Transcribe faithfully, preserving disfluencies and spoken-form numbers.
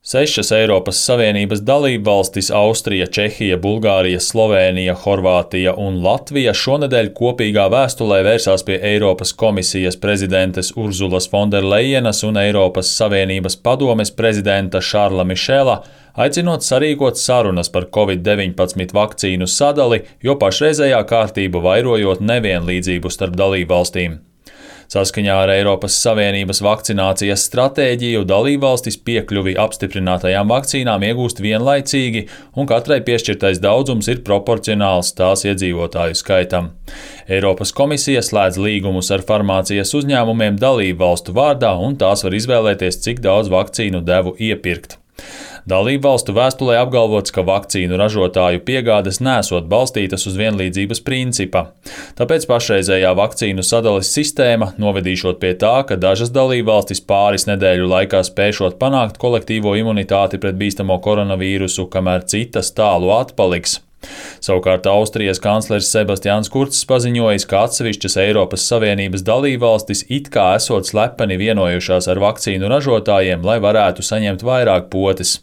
Sešas Eiropas Savienības dalībvalstis – Austrija, Čehija, Bulgārija, Slovēnija, Horvātija un Latvija – šonedēļ kopīgā vēstulē vērsās pie Eiropas komisijas prezidentes Urzulas Fonderlejenas un Eiropas Savienības padomes prezidenta Šarla Mišela, aicinot sarīkot sarunas par covid deviņpadsmit vakcīnu sadali, jo pašreizējā kārtība vairojot nevienlīdzību starp dalībvalstīm. Saskaņā ar Eiropas Savienības vakcinācijas stratēģiju dalībvalstis piekļuvi apstiprinātajām vakcīnām iegūst vienlaicīgi, un katrai piešķirtais daudzums ir proporcionāls tās iedzīvotāju skaitam. Eiropas komisija slēdz līgumus ar farmācijas uzņēmumiem dalībvalstu vārdā, un tās var izvēlēties, cik daudz vakcīnu devu iepirkt. Dalībvalstu vēstulē apgalvots, ka vakcīnu ražotāju piegādes nesot balstītas uz vienlīdzības principa. Tāpēc pašreizējā vakcīnu sadales sistēma novedīšot pie tā, ka dažas dalībvalstis pāris nedēļu laikā spēšot panākt kolektīvo imunitāti pret bīstamo koronavīrusu, kamēr citas tālu atpaliks. Savukārt Austrijas kanclers Sebastians Kurcs paziņojis, ka atsevišķas Eiropas Savienības dalībvalstis it kā esot slepeni vienojušās ar vakcīnu ražotājiem, lai varētu saņemt vairāk potes.